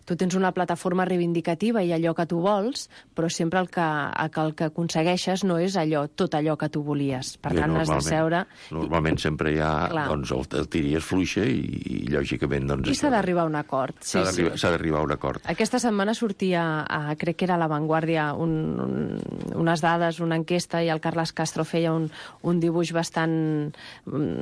tu tens una plataforma reivindicativa i allò que tu vols, però sempre el que aconsegueixes no és tot allò que tu volies. Per tant, has de seure... Normalment sempre hi ha, doncs, el tiri es fluixa i lògicament... Doncs, i s'ha d'arribar a un acord. S'ha d'arribar a un acord. Aquesta setmana sortia, crec que era a La Vanguardia, unes dades, una enquesta, i el Carles Castro feia un dibuix bastant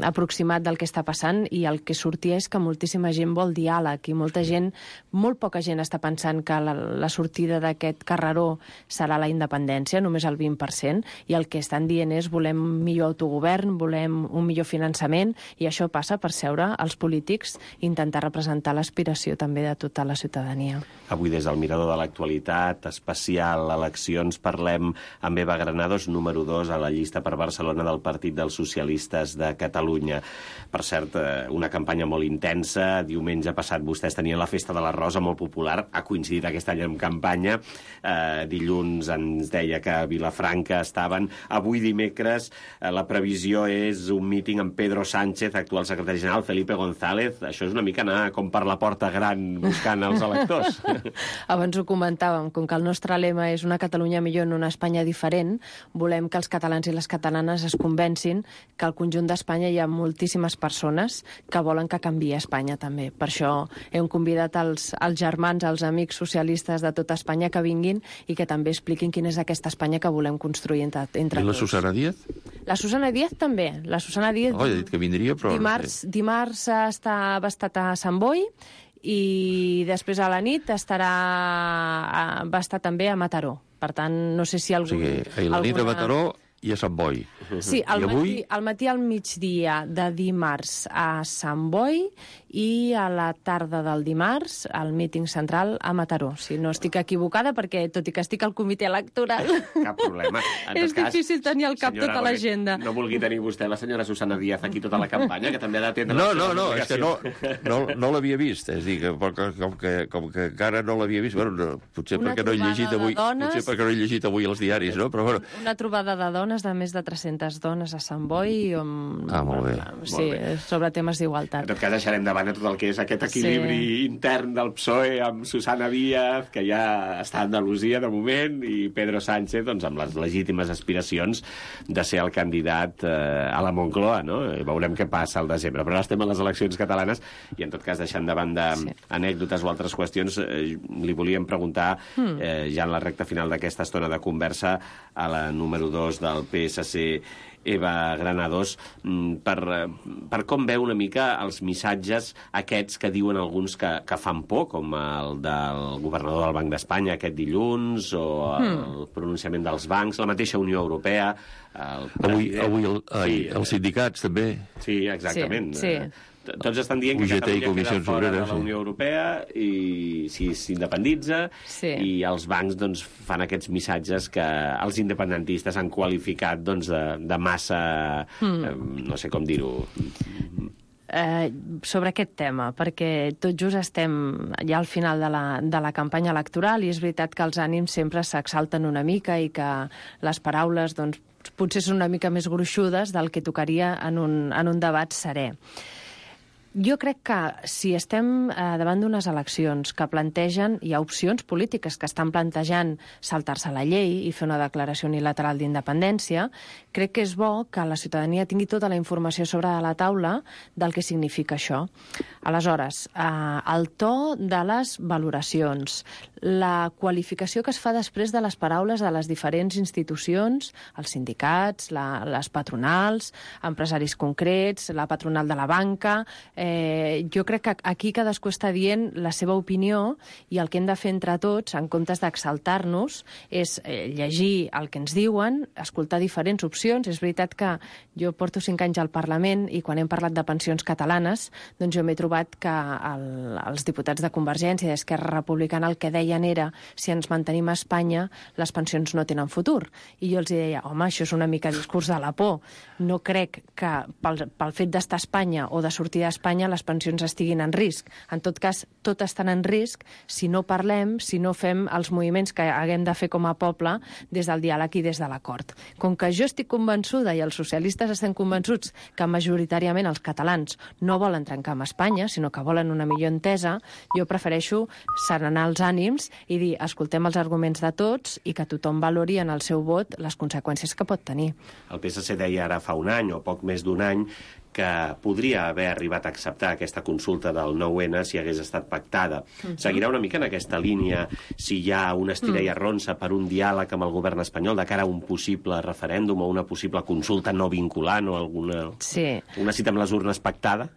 aproximat del que està passant, i el que sortia és que moltíssima gent vol diàleg, i molt poca gent està pensant que la sortida d'aquest carreró serà la independència, només el 20%, i el que estan dient és volem millor autogovern, volem un millor finançament, i això passa per seure els polítics i intentar representar l'aspiració també de tota la ciutadania. Avui, des del mirador de l'actualitat, especial eleccions, parlem amb Eva Granados, número 2 a la llista per Barcelona del Partit dels Socialistes de Catalunya. Per cert, una campanya molt intensa. Diumenge passat vostès tenien la Festa de la Rosa, molt popular. Ha coincidit aquest any amb campanya. Dilluns ens deia que a Vilafranca estaven. Avui, dimecres, la previsió és un míting amb Pedro Sánchez, actual secretari general, Felipe González. Això és una mica anar com per la porta gran buscant els electors. Abans ho comentàvem, com que el nostre lema és una Catalunya millor en una Espanya diferent, volem que els catalans i les catalanes es convencin que al conjunt d'Espanya hi ha moltíssimes persones que volen que canviï Espanya també. Per això hem convidat els germans, els amics socialistes de tota Espanya que vinguin i que també expliquin quina és aquesta Espanya que volem construir entre tots. I la Susana Díaz? La Susana Díaz també. La Susana Díaz... He dit que vindria, però... Dimarts ha estat a Sant Boi, i després a la nit va estar també a Mataró. Per tant, no sé si algú... O sigui, la nit a Mataró i a Sant Boi. Sí, al matí al migdia de dimarts a Sant Boi i a la tarda del dimarts al míting central a Mataró. Si no estic equivocada, perquè tot i que estic al comitè electoral... Cap problema. És difícil tenir al cap tota l'agenda. No vulgui tenir vostè la senyora Susana Díaz aquí tota la campanya, que també ha d'atendre... No, és que no l'havia vist. És a dir, com que encara no l'havia vist, potser perquè no he llegit avui els diaris, no? Però bueno. Una trobada de dones, de més de 300 dones a Sant Boi, molt bé. Sí, sobre temes d'igualtat. En tot cas, deixarem de banda tot el que és aquest equilibri intern del PSOE amb Susana Díaz, que ja està a Andalusia de moment, i Pedro Sánchez, doncs, amb les legítimes aspiracions de ser el candidat a la Moncloa, no? Veurem què passa al desembre. Però ara estem a les eleccions catalanes i, en tot cas, deixant de banda anècdotes o altres qüestions, li volíem preguntar, ja en la recta final d'aquesta estona de conversa, a la número 2 del PSC, Eva Granados, per com veu una mica els missatges aquests que diuen alguns que fan por, com el del governador del Banc d'Espanya aquest dilluns, o el pronunciament dels bancs, la mateixa Unió Europea... Avui els sindicats, també. Sí, exactament. Sí. Tots estan dient que Catalunya queda fora de la Unió Europea i si s'independitza, i els bancs doncs, fan aquests missatges que els independentistes han qualificat doncs, de massa, no sé com dir-ho... sobre aquest tema, perquè tot just estem ja al final de la campanya electoral, i és veritat que els ànims sempre s'exalten una mica i que les paraules doncs, potser són una mica més gruixudes del que tocaria en un debat serè. Jo crec que si estem davant d'unes eleccions que plantegen, hi ha opcions polítiques que estan plantejant saltar-se la llei i fer una declaració unilateral d'independència, crec que és bo que la ciutadania tingui tota la informació sobre la taula del que significa això. Aleshores, el to de les valoracions, la qualificació que es fa després de les paraules de les diferents institucions, els sindicats, les patronals, empresaris concrets, la patronal de la banca... jo crec que aquí cadascú està dient la seva opinió, i el que hem de fer entre tots, en comptes d'exaltar-nos, és llegir el que ens diuen, escoltar diferents opcions. És veritat que jo porto 5 anys al Parlament i quan hem parlat de pensions catalanes, doncs jo m'he trobat que els diputats de Convergència i d'Esquerra Republicana el que deien era si ens mantenim a Espanya, les pensions no tenen futur. I jo els deia, home, això és una mica discurs de la por. No crec que pel fet d'estar a Espanya o de sortir d'Espanya Espanya les pensions estiguin en risc. En tot cas, tot estan en risc si no parlem, si no fem els moviments que haguem de fer com a poble des del diàleg i des de l'acord. Com que jo estic convençuda i els socialistes estem convençuts que majoritàriament els catalans no volen trencar amb Espanya, sinó que volen una millor entesa, jo prefereixo serenar els ànims i dir, escoltem els arguments de tots i que tothom valori en el seu vot les conseqüències que pot tenir. El PSC deia ara fa un any o poc més d'un any que podria haver arribat a acceptar aquesta consulta del 9-N si hagués estat pactada. Seguirà una mica en aquesta línia si hi ha una estira i arronsa per un diàleg amb el govern espanyol de cara a un possible referèndum o una possible consulta no vinculant o una cita amb les urnes pactada?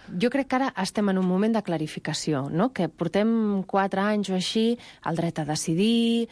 Jo crec que ara estem en un moment de clarificació, no? Que portem 4 anys o així, el dret a decidir,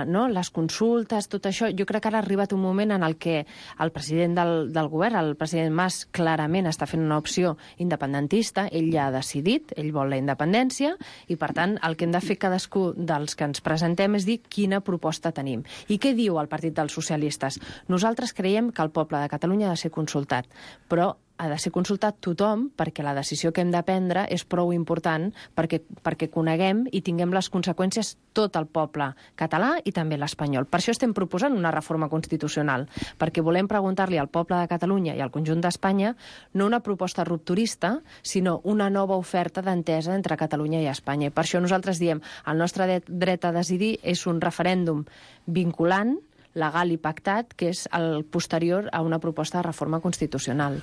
no? Les consultes, tot això. Jo crec que ara ha arribat un moment en el que el president del govern, el president Mas, clarament està fent una opció independentista, ell ja ha decidit, ell vol la independència, i per tant el que hem de fer cadascú dels que ens presentem és dir quina proposta tenim. I què diu el Partit dels Socialistes? Nosaltres creiem que el poble de Catalunya ha de ser consultat, però ha de ser consultat tothom perquè la decisió que hem de prendre és prou important perquè coneguem i tinguem les conseqüències tot el poble català i també l'espanyol. Per això estem proposant una reforma constitucional, perquè volem preguntar-li al poble de Catalunya i al conjunt d'Espanya no una proposta rupturista, sinó una nova oferta d'entesa entre Catalunya i Espanya. I per això nosaltres diem el nostre dret a decidir és un referèndum vinculant, legal i pactat, que és el posterior a una proposta de reforma constitucional.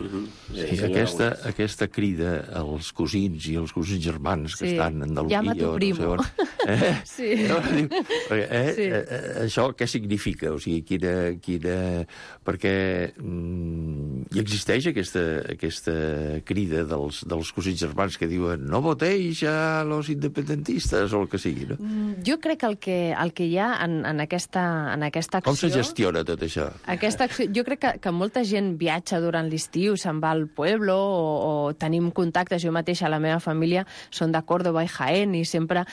Sí, aquesta crida als cosins i als cosins germans que estan a Andalusia... Llama tu primo. No sé on, això què significa? O sigui, quina... Perquè hi existeix aquesta crida dels cosins germans que diuen no votéis a los independentistes o el que sigui, no? Jo crec que el que hi ha en aquesta acció... Com se gestiona tot això? Aquesta acció, jo crec que molta gent viatja durant l'estiu, se'n va al pueblo o tenim contactes. Jo mateixa, la meva família, són de Córdoba i Jaén i sempre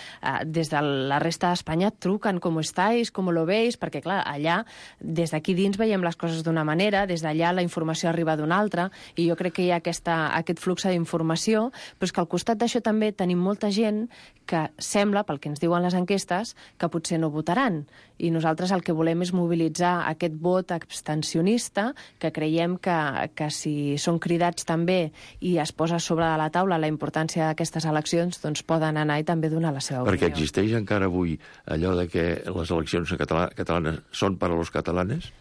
des de la resta d'Espanya truquen com estáis, com lo veis, perquè clar, allà, des d'aquí dins veiem les coses d'una manera, des d'allà la informació arriba d'una altra i jo crec que hi ha aquest flux d'informació, però és que al costat d'això també tenim molta gent que sembla, pel que ens diuen les enquestes, que potser no votaran. I nosaltres el que volem és mobilitzar aquest vot abstencionista, que creiem que si són cridats també i es posa sobre de la taula la importància d'aquestes eleccions, doncs poden anar i també donar la seva opinió. Perquè existeix encara avui allò de que les eleccions catalanes són per a los catalanes?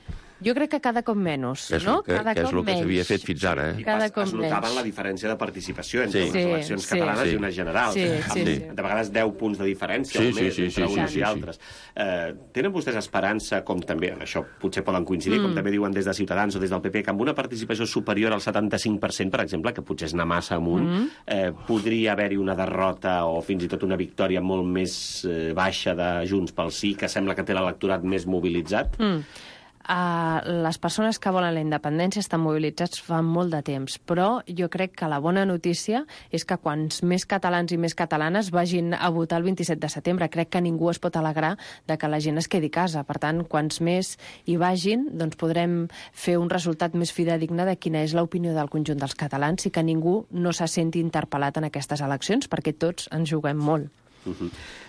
Jo crec que cada cop menys, no? Que és el que s'havia fet fins ara. I es notava la diferència de participació entre les eleccions catalanes i unes generals. De vegades 10 punts de diferència entre uns i altres. Tenen vostès esperança, com també, això potser poden coincidir, com també diuen des de Ciutadans o des del PP, que amb una participació superior al 75%, per exemple, que potser és anar massa amunt, podria haver-hi una derrota o fins i tot una victòria molt més baixa de Junts pel Sí, que sembla que té l'electorat més mobilitzat? Les persones que volen la independència estan mobilitzats fa molt de temps, però jo crec que la bona notícia és que quants més catalans i més catalanes vagin a votar el 27 de setembre. Crec que ningú es pot alegrar de que la gent es quedi a casa. Per tant, quants més hi vagin, doncs podrem fer un resultat més fidedigne de quina és l'opinió del conjunt dels catalans i que ningú no se senti interpel·lat en aquestes eleccions, perquè tots ens juguem molt.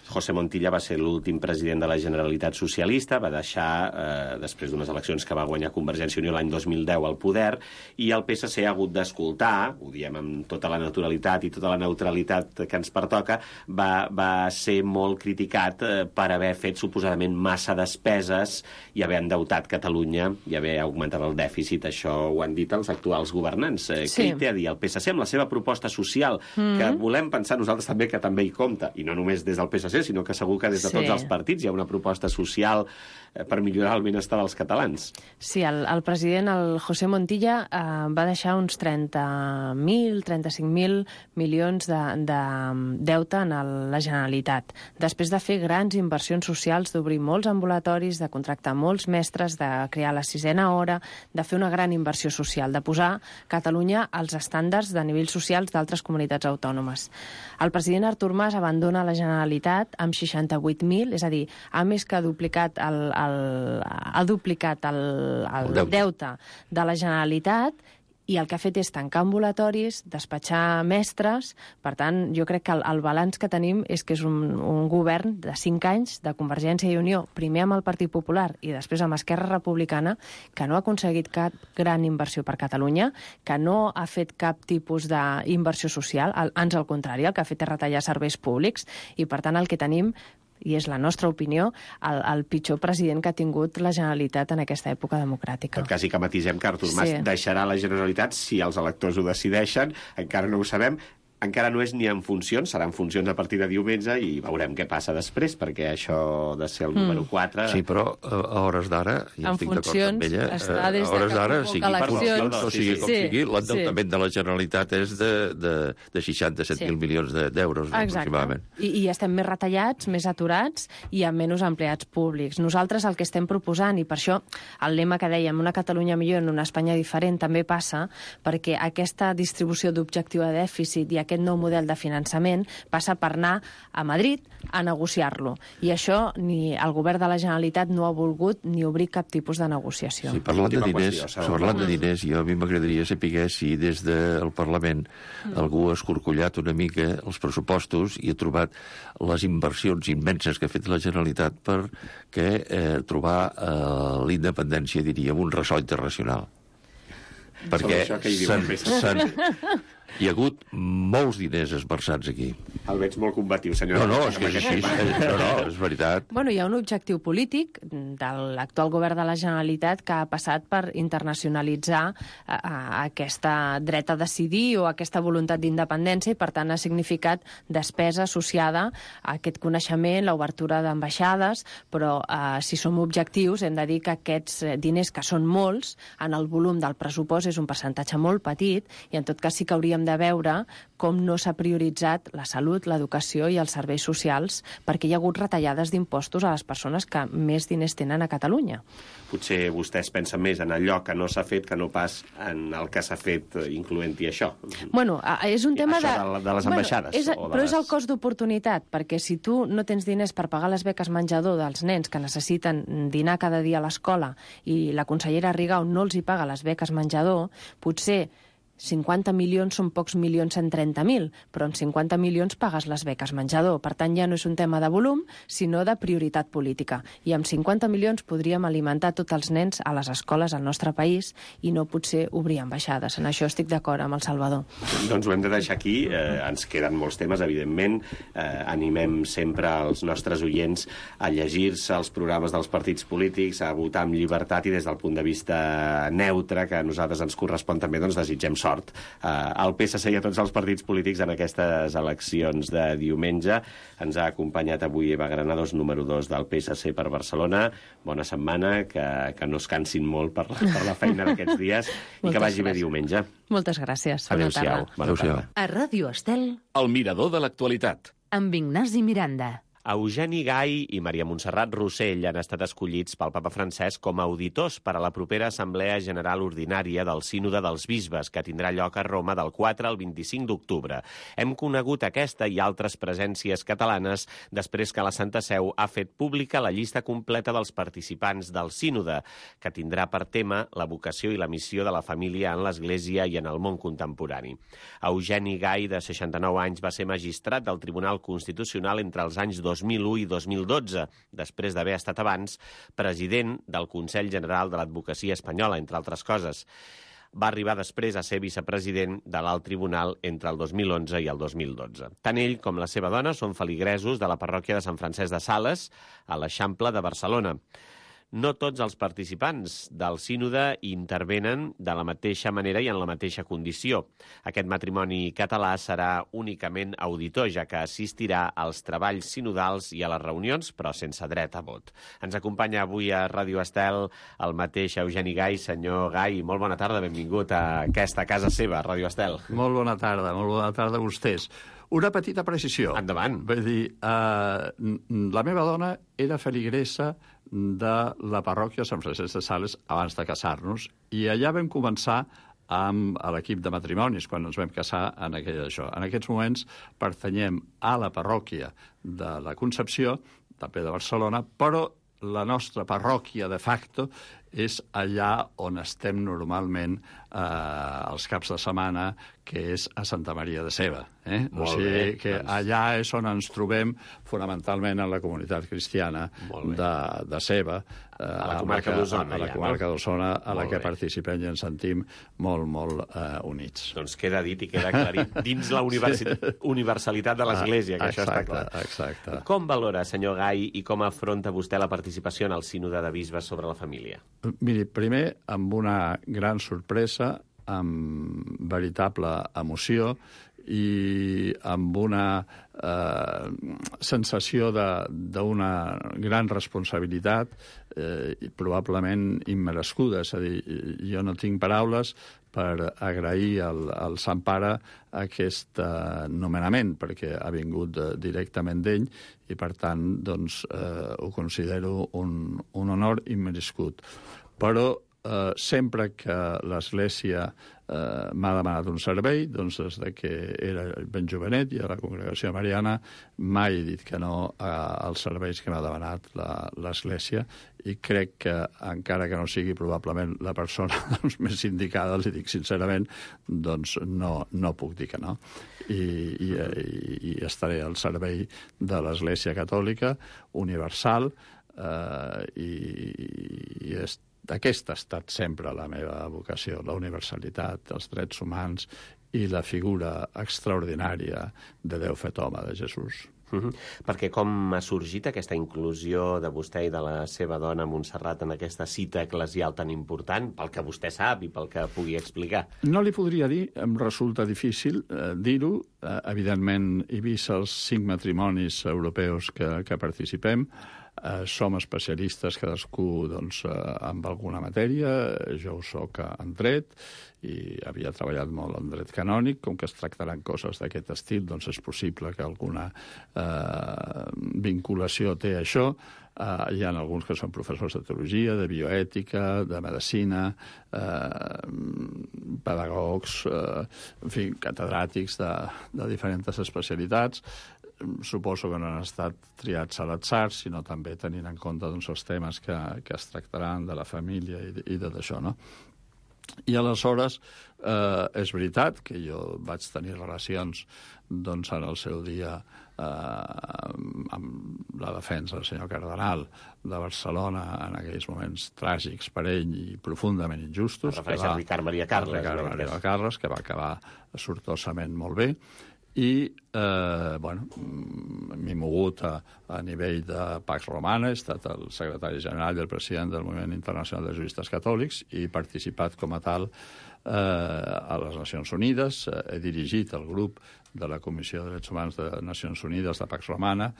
José Montilla va ser l'últim president de la Generalitat socialista, va deixar, després d'unes eleccions que va guanyar Convergència i Unió l'any 2010 al poder, i el PSC ha hagut d'escoltar, ho diem amb tota la naturalitat i tota la neutralitat que ens pertoca, va ser molt criticat per haver fet suposadament massa despeses i haver endeutat Catalunya i haver augmentat el dèficit. Això ho han dit els actuals governants. Què hi té a dir el PSC amb la seva proposta social, que volem pensar nosaltres també que també hi compta, i no només des del PSC, sinó que segur que des de tots els partits hi ha una proposta social per millorar el benestar dels catalans. Sí, el president, el José Montilla, va deixar uns 30.000, 35.000 milions de deute en la Generalitat. Després de fer grans inversions socials, d'obrir molts ambulatoris, de contractar molts mestres, de crear la 6a hora, de fer una gran inversió social, de posar Catalunya als estàndards de nivells socials d'altres comunitats autònomes. El president Artur Mas abandona la Generalitat amb 68.000, és a dir, ha més que duplicat el deute de la Generalitat i el que ha fet és tancar ambulatoris, despatxar mestres. Per tant, jo crec que el balanç que tenim és que és un govern de 5 anys de Convergència i Unió, primer amb el Partit Popular i després amb Esquerra Republicana, que no ha aconseguit cap gran inversió per Catalunya, que no ha fet cap tipus d'inversió social, ans al contrari, el que ha fet és retallar serveis públics, i per tant el que tenim, i és la nostra opinió, el pitjor president que ha tingut la Generalitat en aquesta època democràtica. En tot cas, i que matisem que Artur Mas deixarà la Generalitat si els electors ho decideixen, encara no ho sabem, encara no és ni en funcions, serà en funcions a partir de diumenge i veurem què passa després, perquè això de ser el número 4... Sí, però a hores d'ara, ja estic d'acord amb ella, a hores d'ara, sigui per funcions o sigui com sigui, l'endeutament de la Generalitat és de 67.000 milions d'euros, aproximadament. I estem més retallats, més aturats i amb menys empleats públics. Nosaltres el que estem proposant, i per això el lema que dèiem, una Catalunya millor en una Espanya diferent, també passa perquè aquesta distribució d'objectiu de dèficit i aquest nou model de finançament passa per anar a Madrid a negociar-lo. I això ni el govern de la Generalitat no ha volgut ni obrir cap tipus de negociació. Sí, parlant de diners, jo a mi m'agradaria saber si des del Parlament algú ha escorcollat una mica els pressupostos i ha trobat les inversions immenses que ha fet la Generalitat per trobar l'independència, diríem, un ressò internacional. Perquè hi ha hagut molts diners esmerçats aquí. El veig molt combatiu, senyor. No, és que és així. No, és veritat. Bueno, hi ha un objectiu polític de l'actual govern de la Generalitat que ha passat per internacionalitzar aquesta dret a decidir o aquesta voluntat d'independència i, per tant, ha significat despesa associada a aquest coneixement, l'obertura d'ambaixades, però si som objectius hem de dir que aquests diners, que són molts, en el volum del pressupost és un percentatge molt petit i, en tot cas, sí que hauríem de veure com no s'ha prioritzat la salut, l'educació i els serveis socials, perquè hi ha hagut retallades d'impostos a les persones que més diners tenen a Catalunya. Potser vostès pensen més en allò que no s'ha fet que no pas en el que s'ha fet, incloent-hi això. Bueno, és un tema de les ambaixades. Però és el cost d'oportunitat, perquè si tu no tens diners per pagar les beques menjador dels nens que necessiten dinar cada dia a l'escola i la consellera Rigau no els hi paga les beques menjador, potser 50 milions són pocs milions en 30.000, però amb 50 milions pagues les beques menjador. Per tant, ja no és un tema de volum, sinó de prioritat política. I amb 50 milions podríem alimentar tots els nens a les escoles al nostre país i no potser obrir ambaixades. En això estic d'acord amb el Salvador. Doncs ho hem de deixar aquí. Ens queden molts temes, evidentment. Animem sempre els nostres oients a llegir-se els programes dels partits polítics, a votar amb llibertat i des del punt de vista neutre, que a nosaltres ens correspon també, doncs desitgem sort al PSC i a tots els partits polítics en aquestes eleccions de diumenge. Ens ha acompanyat avui Eva Granados, número 2 del PSC per Barcelona. Bona setmana, que no es cansin molt per la feina d'aquests dies i que vagi bé diumenge. Moltes gràcies. Adéu-siau. A Ràdio Estel, El mirador de l'actualitat. amb Ignasi Miranda. Eugeni Gai i Maria Montserrat Rossell han estat escollits pel papa Francesc com a auditors per a la propera Assemblea General Ordinària del Sínode dels Bisbes, que tindrà lloc a Roma del 4 al 25 d'octubre. Hem conegut aquesta i altres presències catalanes després que la Santa Seu ha fet pública la llista completa dels participants del Sínode, que tindrà per tema la vocació i la missió de la família en l'Església i en el món contemporani. Eugeni Gai, de 69 anys, va ser magistrat del Tribunal Constitucional entre els anys 2001 i 2012, després d'haver estat abans president del Consell General de l'Advocacia Espanyola, entre altres coses. Va arribar després a ser vicepresident de l'Alt Tribunal entre el 2011 i el 2012. Tant ell com la seva dona són feligresos de la parròquia de Sant Francesc de Sales, a l'Eixample de Barcelona. No tots els participants del sínode intervenen de la mateixa manera i en la mateixa condició. Aquest matrimoni català serà únicament auditor, ja que assistirà als treballs sinodals i a les reunions, però sense dret a vot. Ens acompanya avui a Ràdio Estel el mateix Eugeni Gai. Senyor Gai, molt bona tarda, benvingut a aquesta casa seva, Ràdio Estel. Molt bona tarda a vostès. Una petita precisió. Endavant. Vull dir, la meva dona era feligresa de la parròquia de Sant Francesc de Sales abans de casar-nos, i allà vam començar amb l'equip de matrimonis, quan ens vam casar en això. En aquests moments pertanyem a la parròquia de la Concepció, també de Barcelona, però la nostra parròquia de facto és allà on estem normalment els caps de setmana, que és a Santa Maria de Seva. O sigui que allà és on ens trobem fonamentalment en la comunitat cristiana de Seva, a la comarca d'Osona. A la comarca d'Osona, a la que participem i ens sentim molt units. Doncs queda dit i queda aclarit dins la universalitat de l'Església, que això està clar. Exacte. Com valora, senyor Gai, i com afronta vostè la participació en el sínode de bisbes sobre la família? Miri, primer, amb una gran sorpresa, amb veritable emoció i amb una sensació d'una gran responsabilitat probablement immerescuda. És a dir, jo no tinc paraules per agrair al Sant Pare aquest nomenament, perquè ha vingut directament d'ell i, per tant, doncs, ho considero un honor immerescut. Però sempre que l'Església m'ha demanat un servei, doncs des que era ben jovenet i a la congregació mariana, mai he dit que no als serveis que m'ha demanat l'Església, i crec que, encara que no sigui probablement la persona més indicada, li dic sincerament, doncs no puc dir que no. I estaré al servei de l'Església Catòlica universal, i aquesta ha estat sempre la meva vocació, la universalitat, els drets humans i la figura extraordinària de Déu fet home, de Jesús. Perquè com ha sorgit aquesta inclusió de vostè i de la seva dona Montserrat en aquesta cita eclesial tan important, pel que vostè sap i pel que pugui explicar? No li podria dir, em resulta difícil dir-ho. Evidentment, he vist els 5 matrimonis europeus que participem. Som especialistes cadascú doncs, amb alguna matèria. Jo ho soc en dret i havia treballat molt en dret canònic. Com que es tractaran coses d'aquest estil, doncs és possible que alguna vinculació té això. Hi ha alguns que són professors de teologia, de bioètica, de medicina, pedagogs, en fi, catedràtics de diferents especialitats. Suposo que no han estat triats a l'atzar, sinó també tenint en compte doncs, els temes que es tractaran de la família i de d'això, no? I aleshores és veritat que jo vaig tenir relacions doncs, en el seu dia amb la defensa del senyor cardenal de Barcelona en aquells moments tràgics per ell i profundament injustos. Es refereix a Ricard Maria Carles. Ricard Maria Carles, que va acabar sortosament molt bé. I m'he mogut a nivell de Pax Romana, he estat el secretari general i el president del Moviment Internacional de Juristes Catòlics i he participat com a tal a les Nacions Unides. He dirigit el grup de la Comissió de Drets Humans de Nacions Unides de Pax Romana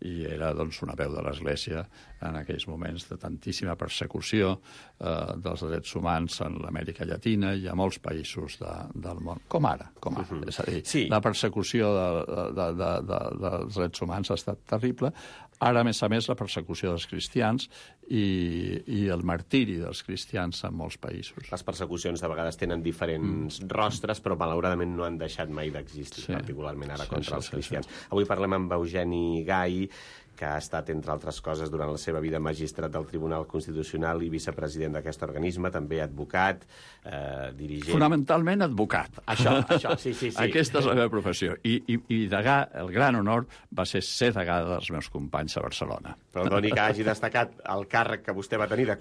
i era doncs, una veu de l'Església en aquells moments de tantíssima persecució dels drets humans en l'Amèrica Llatina i a molts països del món, com ara. És a dir, sí. La persecució dels drets humans ha estat terrible. Ara, a més, la persecució dels cristians i el martiri dels cristians en molts països. Les persecucions de vegades tenen diferents rostres, però malauradament no han deixat mai d'existir, particularment ara contra els cristians. Avui parlem amb Eugeni Gai, que ha estat, entre altres coses, durant la seva vida magistrat del Tribunal Constitucional i vicepresident d'aquest organisme, també advocat, dirigent... Fonamentalment advocat. Això, sí. Aquesta és la meva professió. I degà, el gran honor va ser degà dels meus companys a Barcelona. Perdoni que hagi destacat el càrrec que vostè va tenir de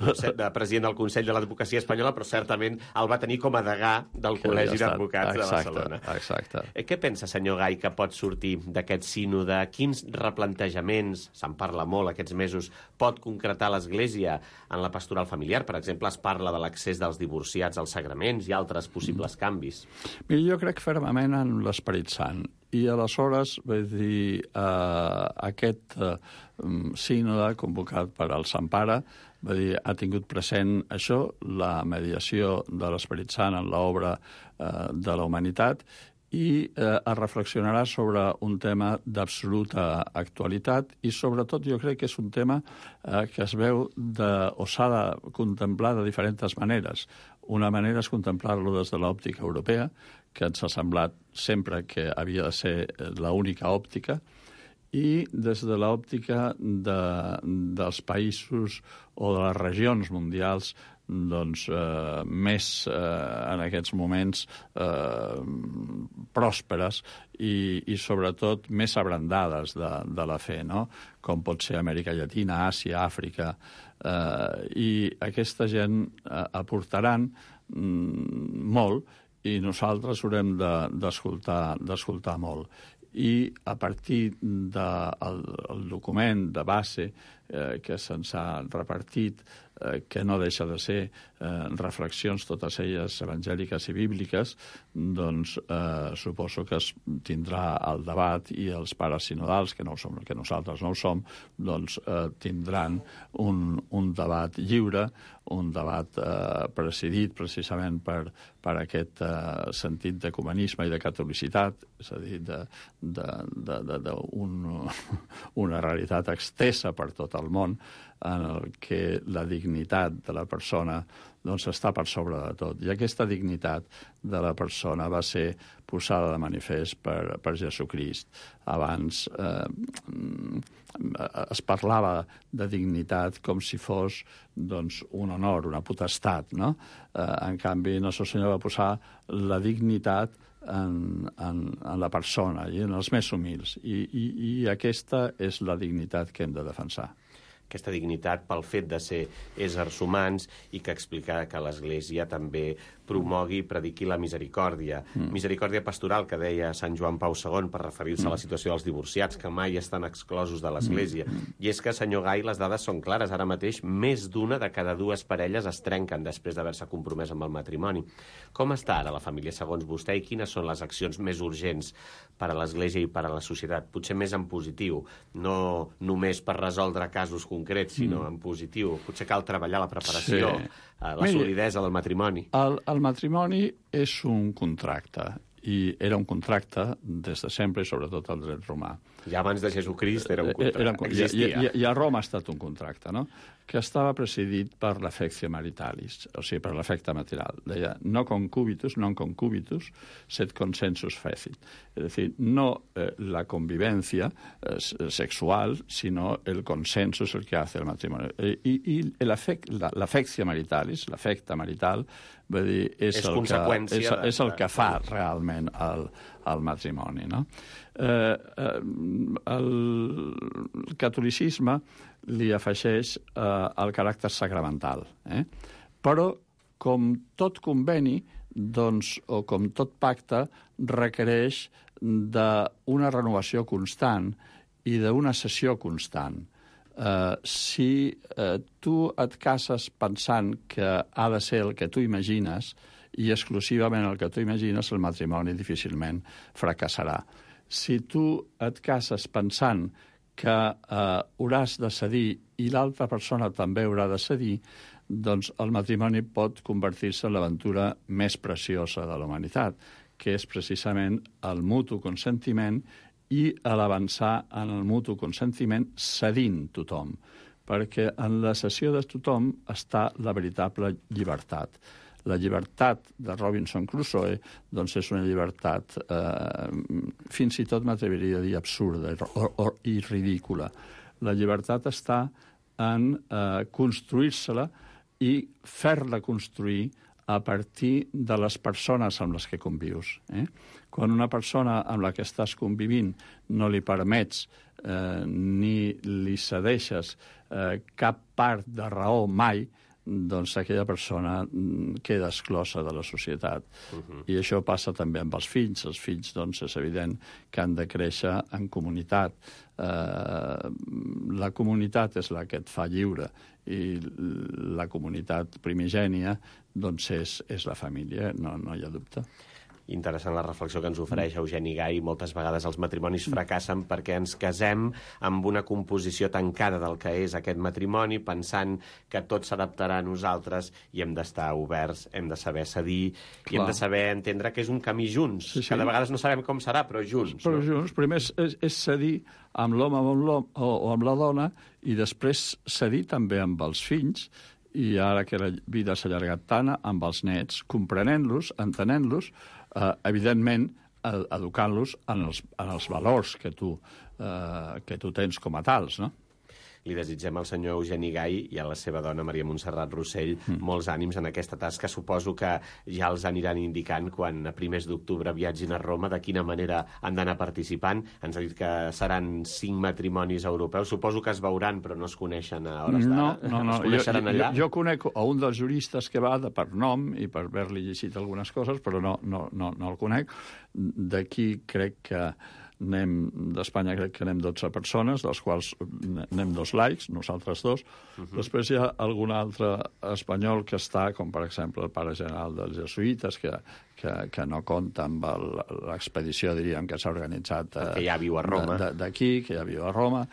president del Consell de l'Advocacia Espanyola, però certament el va tenir com a degà del Col·legi d'Advocats de Barcelona. Exacte. Què pensa, senyor Gai, que pot sortir d'aquest sínode? Quins replantejaments, se'n parla molt aquests mesos, pot concretar l'Església en la pastoral familiar? Per exemple, es parla de l'accés dels divorciats als sagraments i altres possibles canvis. Mira, jo crec fermament en l'Esperit Sant. I aleshores, vull dir, aquest sínode convocat per al Sant Pare ha tingut present això, la mediació de l'Esperit Sant en l'obra de la humanitat, i es reflexionarà sobre un tema d'absoluta actualitat i, sobretot, jo crec que és un tema que es veu o s'ha de contemplar de diferents maneres. Una manera és contemplar-lo des de l'òptica europea, que ens ha semblat sempre que havia de ser l'única òptica, i des de l'òptica dels països o de les regions mundials doncs, més en aquests moments pròsperes i sobretot més abrandades de la fe, no? Com pot ser Amèrica Llatina, Àsia, Àfrica, i aquesta gent aportaran molt i nosaltres haurem d'escoltar molt. I a partir del document de base que se'ns ha repartit, que no deixa de ser reflexions, totes elles evangèliques i bíbliques, doncs suposo que es tindrà el debat i els pares sinodals, que nosaltres no ho som, doncs tindran un debat lliure, un debat presidit precisament per aquest sentit d'ecumenisme i de catolicitat, és a dir, una realitat extesa per tot el món, en el que la dignitat de la persona doncs, està per sobre de tot. I aquesta dignitat de la persona va ser posada de manifest per Jesucrist. Abans es parlava de dignitat com si fos doncs, un honor, una potestat, no? En canvi, Nostre Senyor va posar la dignitat en la persona i en els més humils. I aquesta és la dignitat que hem de defensar. Aquesta dignitat pel fet de ser éssers humans i que explica que l'Església també promogui i prediqui la misericòrdia. Misericòrdia pastoral, que deia Sant Joan Pau II per referir-se a la situació dels divorciats, que mai estan exclosos de l'Església. I és que, senyor Gai, les dades són clares. Ara mateix, més d'una de cada dues parelles es trenquen després d'haver-se compromès amb el matrimoni. Com està ara la família segons vostè i quines són les accions més urgents per a l'Església i per a la societat? Potser més en positiu, no només per resoldre casos concrets, sinó en positiu. Potser cal treballar la preparació, la solidesa del matrimoni. El matrimoni és un contracte, i era un contracte des de sempre, i sobretot al dret romà. Ja abans de Jesucrist era un contracte, existia. I a Roma ha estat un contracte, no? Que estava presidit per l'affectio maritalis, o sigui, per l'afecte material. Deia, no concubitus, non concubitus, sed consensus fecit. Es decir, no la convivencia sexual, sino el consenso es el que hace el matrimonio. I l'affectio maritalis, l'afecte marital, vull dir, és el que fa realment el matrimoni, no? El catolicisme li afegeix el caràcter sacramental. Però, com tot conveni, doncs, o com tot pacte, requereix d'una renovació constant i d'una cessió constant. Si tu et cases pensant que ha de ser el que tu imagines i exclusivament el que tu imagines, el matrimoni difícilment fracassarà. Si tu et cases pensant que hauràs de cedir i l'altra persona també haurà de cedir, doncs el matrimoni pot convertir-se en l'aventura més preciosa de la humanitat, que és precisament el mutu consentiment i l'avançar en el mutu consentiment cedint tothom, perquè en la cessió de tothom està la veritable llibertat. La llibertat de Robinson Crusoe doncs és una llibertat fins i tot m'atreviria a dir absurda i ridícula. La llibertat està en construir-se-la i fer-la construir a partir de les persones amb les que convius. Quan una persona amb la que estàs convivint no li permets ni li cedeixes cap part de raó mai, doncs aquella persona queda exclosa de la societat. I això passa també amb els fills. Els fills, doncs, és evident que han de créixer en comunitat. La comunitat és la que et fa lliure i la comunitat primigènia doncs és la família, no hi ha dubte. Interessant la reflexió que ens ofereix Eugeni Gai. Moltes vegades els matrimonis fracassen perquè ens casem amb una composició tancada del que és aquest matrimoni, pensant que tot s'adaptarà a nosaltres i hem d'estar oberts, hem de saber cedir i hem de saber entendre que és un camí junts. Sí. Que de vegades no sabem com serà, però junts. Però junts, primer és cedir amb l'home o amb la dona i després cedir també amb els fills, i ara que la vida s'ha allargat tant, amb els nets, comprenent-los, entenent-los, evidentment educant-los en els valors que tu tens com a tals, no? li desitgem al senyor Eugeni Gai i a la seva dona Maria Montserrat Rossell molts ànims en aquesta tasca. Suposo que ja els aniran indicant quan a primers d'octubre viatgin a Roma de quina manera han d'anar participant. Ens ha dit que seran 5 matrimonis europeus. Suposo que es veuran, però no es coneixen a hores d'ara. No. Es coneixeran allà? Jo conec a un dels juristes que va per nom i per haver-li llegit algunes coses, però no el conec. D'aquí crec que d'Espanya crec que anem 12 persones, dels quals anem 2 laics, nosaltres 2. Després hi ha algun altre espanyol que està, com per exemple el pare general dels jesuïtes, que no compta amb l'expedició, diríem, que s'ha organitzat que ja viu a Roma. D'aquí, que ja viu a Roma,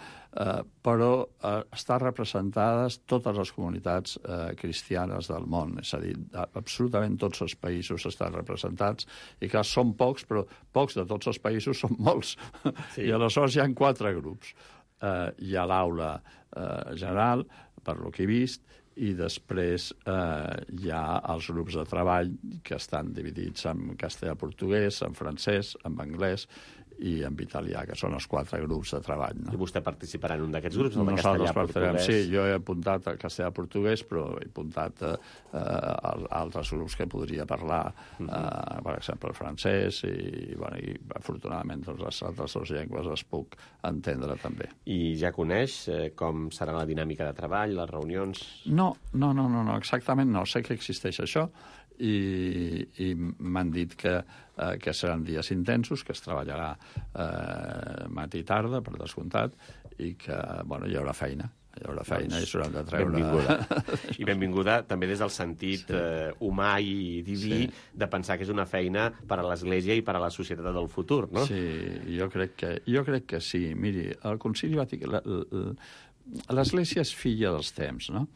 però estan representades totes les comunitats cristianes del món, és a dir, absolutament tots els països estan representats, i clar, són pocs, però pocs de tots els països són molts. Sí. I aleshores hi ha 4 grups. Hi ha l'aula general, per lo que he vist, i després hi ha els grups de treball que estan dividits en castellà-portuguès, en francès, en anglès i en italià, que són els 4 grups de treball. No? I vostè participarà en un d'aquests grups, el de castellà-portuguès? castellà-portuguès? Sí, jo he apuntat el castellà-portuguès, però he apuntat altres grups que podria parlar, per exemple, el francès, i afortunadament les altres 2 llengües les puc entendre també. I ja coneix com serà la dinàmica de treball, les reunions? No, exactament no. Sé que existeix això, i m'han dit que seran dies intensos, que es treballarà matí i tarda, per descomptat, i que hi haurà feina. I s'hauran de treure... Benvinguda. I benvinguda també des del sentit humà i diví de pensar que és una feina per a l'Església i per a la societat del futur, no? Sí, jo crec que sí. Miri, el Concili Vaticà... L'Església és filla dels temps, no?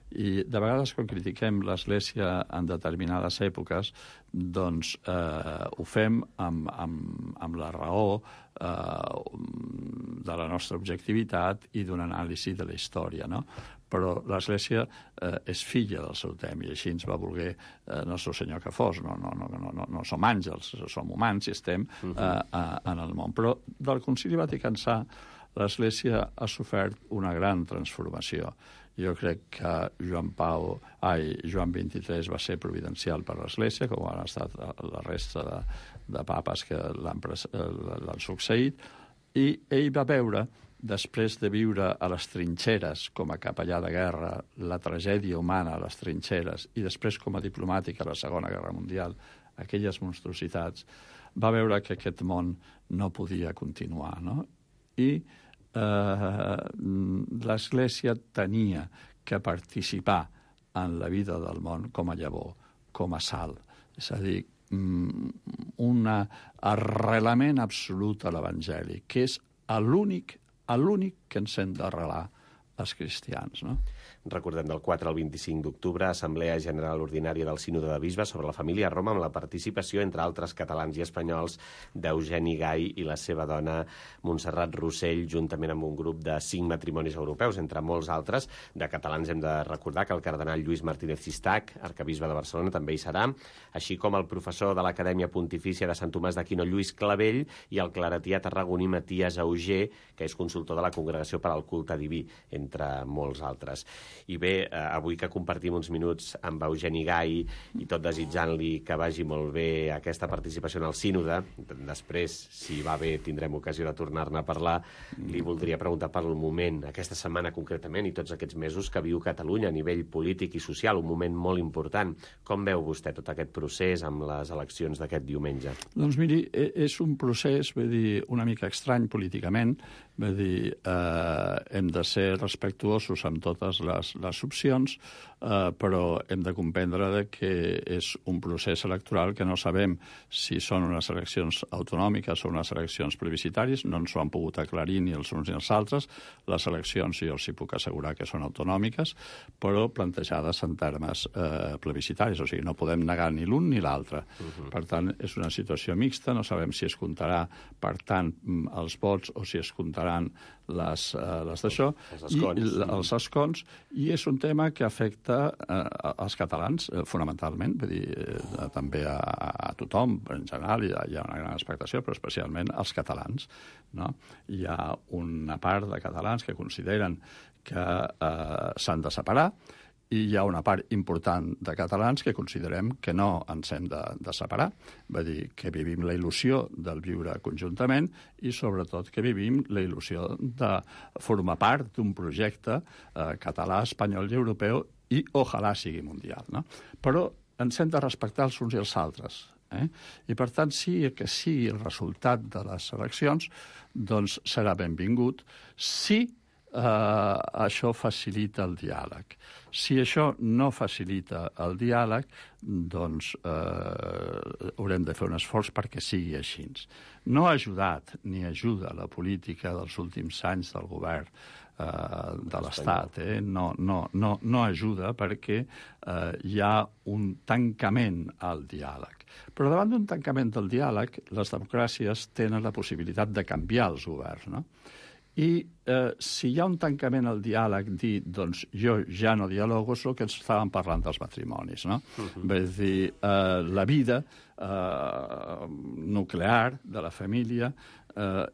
I de vegades quan critiquem l'Església en determinades èpoques, doncs ho fem amb la raó de la nostra objectivitat i d'una anàlisi de la història, no? Però l'Església és filla del seu temps, i així ens va voler Nostre Senyor que fos. No som àngels, som humans i estem en el món. Però del Concili Vaticà l'Església ha sofert una gran transformació. Jo crec que Joan XXIII va ser providencial per l'Església, com han estat la resta de papes que l'han succeït, i ell va veure, després de viure a les trinxeres com a capellà de guerra, la tragèdia humana a les trinxeres, i després com a diplomàtic a la Segona Guerra Mundial, aquelles monstruositats, va veure que aquest món no podia continuar, no? I l'Església tenia que participar en la vida del món com a llavor, com a sal. És a dir, un arrelament absolut a l'Evangeli, que és l'únic que ens hem d'arrelar els cristians, no? Recordem, del 4 al 25 d'octubre, Assemblea General Ordinària del Sínode de Bisbes sobre la família a Roma, amb la participació, entre altres catalans i espanyols, d'Eugeni Gai i la seva dona Montserrat Rossell, juntament amb un grup de 5 matrimonis europeus, entre molts altres. De catalans hem de recordar que el cardenal Lluís Martínez Cistac, arquebisbe de Barcelona, també hi serà, així com el professor de l'Acadèmia Pontifícia de Sant Tomàs d'Aquino, Lluís Clavell, i el claretià tarragoní Matías Auger, que és consultor de la Congregació per al Culte Diví, entre molts altres. I bé, avui que compartim uns minuts amb Eugeni Gai i tot desitjant-li que vagi molt bé aquesta participació en el sínode, després, si va bé, tindrem ocasió de tornar-ne a parlar, li voldria preguntar per el moment, aquesta setmana concretament, i tots aquests mesos que viu Catalunya a nivell polític i social, un moment molt important. Com veu vostè tot aquest procés amb les eleccions d'aquest diumenge? Doncs miri, és un procés, vull dir, una mica estrany políticament, vull dir, hem de ser respectuosos amb totes les opcions, però hem de comprendre que és un procés electoral que no sabem si són unes eleccions autonòmiques o unes eleccions plebiscitàries, no ens ho han pogut aclarir ni els uns ni els altres. Les eleccions jo els hi puc assegurar que són autonòmiques, però plantejades en termes plebiscitaris, o sigui, no podem negar ni l'un ni l'altre. Per tant, és una situació mixta, no sabem si es comptarà, per tant, els vots o si es comptaran les d'això, els escons, i és un tema que afecta als catalans, fonamentalment, vull dir, també a tothom, en general, hi ha una gran expectació, però especialment als catalans, no? Hi ha una part de catalans que consideren que s'han de separar, i hi ha una part important de catalans que considerem que no ens hem de separar. Va dir que vivim la il·lusió del viure conjuntament i, sobretot, que vivim la il·lusió de formar part d'un projecte català, espanyol i europeu i, ojalà, sigui mundial, no? Però ens hem de respectar els uns i els altres. I, per tant, sí que sigui el resultat de les eleccions, doncs serà benvingut si això facilita el diàleg. Si això no facilita el diàleg, doncs haurem de fer un esforç perquè sigui així. No ha ajudat ni ajuda la política dels últims anys del govern de l'Estat. No ajuda perquè hi ha un tancament al diàleg. Però davant d'un tancament del diàleg, les democràcies tenen la possibilitat de canviar els governs, no? I si hi ha un tancament al diàleg, dir, doncs jo ja no dialogo, és el que estàvem parlant dels matrimonis, no? Vull dir, la vida nuclear de la família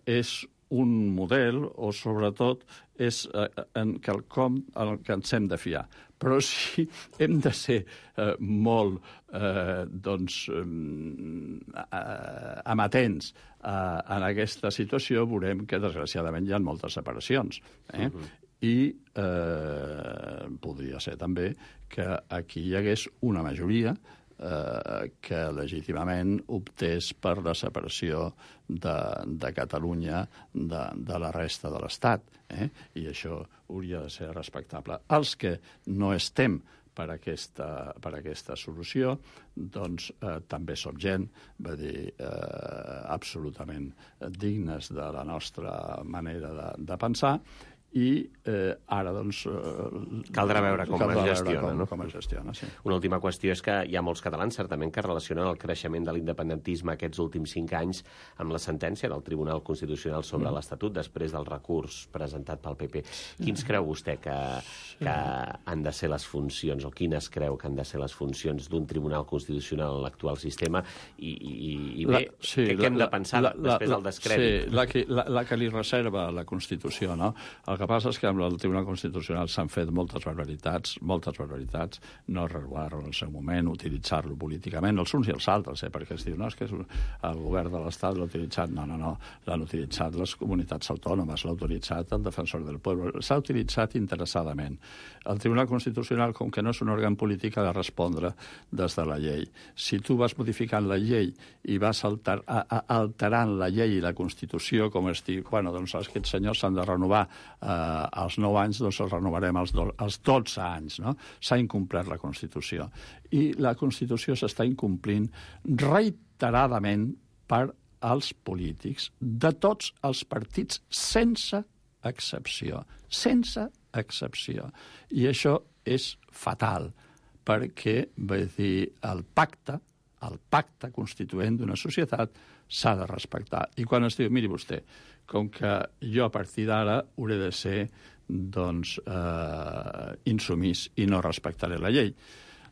és un model, o sobretot és en quelcom en què ens hem de fiar. Però si hem de ser molt amatents en aquesta situació, veurem que, desgraciadament, hi ha moltes separacions. I podria ser també que aquí hi hagués una majoria que legítimament optés per la separació de Catalunya de la resta de l'Estat. I això hauria de ser respectable. Els que no estem per aquesta solució, doncs també som gent, va dir, absolutament dignes de la nostra manera de pensar, i ara, doncs... Caldrà veure com es gestiona, no? Com es gestiona, sí. Una última qüestió és que hi ha molts catalans, certament, que relacionen el creixement de l'independentisme aquests últims 5 anys amb la sentència del Tribunal Constitucional sobre l'Estatut, després del recurs presentat pel PP. Quins creu vostè que han de ser les funcions, o quines creu que han de ser les funcions d'un Tribunal Constitucional en l'actual sistema? I bé, què hem de pensar després del descrèdit? Sí, la que li reserva la Constitució, no? El que passa és que amb el Tribunal Constitucional s'han fet moltes barbaritats, no regular-lo en el seu moment, utilitzar-lo políticament, els uns i els altres, perquè es diu, no, és que el govern de l'Estat l'ha utilitzat. No, l'han utilitzat les comunitats autònomes, l'ha utilitzat el Defensor del Pueblo, s'ha utilitzat interessadament. El Tribunal Constitucional, com que no és un òrgan polític, ha de respondre des de la llei. Si tu vas modificant la llei i vas alterant la llei i la Constitució, com es diu, bueno, doncs aquests senyors s'han de renovar als 9 anys, doncs els renovarem als 12 anys, no? S'ha incomplert la Constitució. I la Constitució s'està incomplint reiteradament per als polítics de tots els partits, sense excepció. Sense excepció. I això és fatal, perquè, vull dir, el pacte constituent d'una societat s'ha de respectar. I quan es diu, miri vostè, com que jo a partir d'ara hauré de ser, doncs, insumís i no respectaré la llei,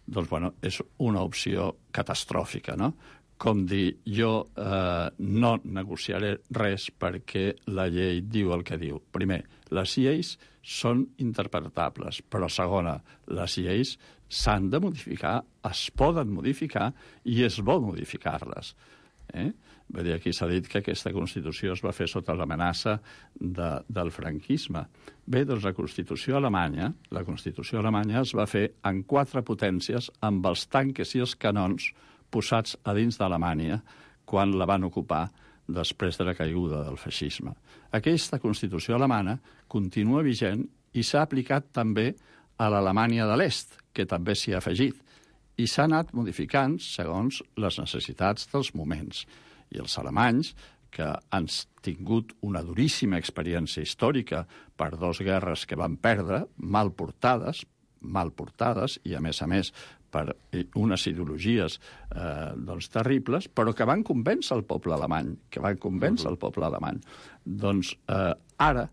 doncs, bueno, és una opció catastròfica, no? Com dir, jo no negociaré res perquè la llei diu el que diu. Primer, les lleis són interpretables, però segona, les lleis s'han de modificar, es poden modificar i és bo modificar-les. Vull dir, aquí s'ha dit que aquesta Constitució es va fer sota l'amenaça del franquisme. Bé, doncs la Constitució alemanya es va fer en 4 potències amb els tanques i els canons posats a dins d'Alemanya quan la van ocupar després de la caiguda del feixisme. Aquesta Constitució alemana continua vigent i s'ha aplicat també a l'Alemanya de l'Est, que també s'hi ha afegit, i s'ha anat modificant segons les necessitats dels moments. I els alemanys, que han tingut una duríssima experiència històrica per 2 guerres que van perdre, mal portades, i a més per unes ideologies terribles, però que van convèncer el poble alemany, Doncs ara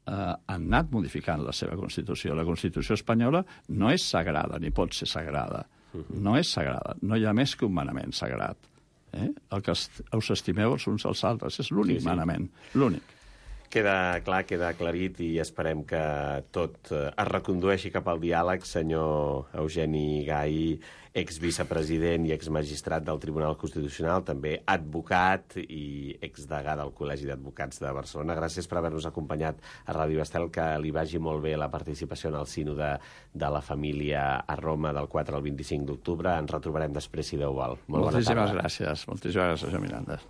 han anat modificant la seva Constitució. La Constitució espanyola no és sagrada, ni pot ser sagrada. No és sagrada. No hi ha més que un manament sagrat. El que us estimeu els uns als altres és l'únic manament, l'únic. Queda clar, queda aclarit i esperem que tot es recondueixi cap al diàleg. Senyor Eugeni Gai, exvicepresident i exmagistrat del Tribunal Constitucional, també advocat i exdegà del Col·legi d'Advocats de Barcelona. Gràcies per haver-nos acompanyat a Ràdio Estel, que li vagi molt bé la participació en el sínode de la família a Roma del 4 al 25 d'octubre. Ens retrobarem després, si Déu vol. Moltíssimes gràcies, Miranda.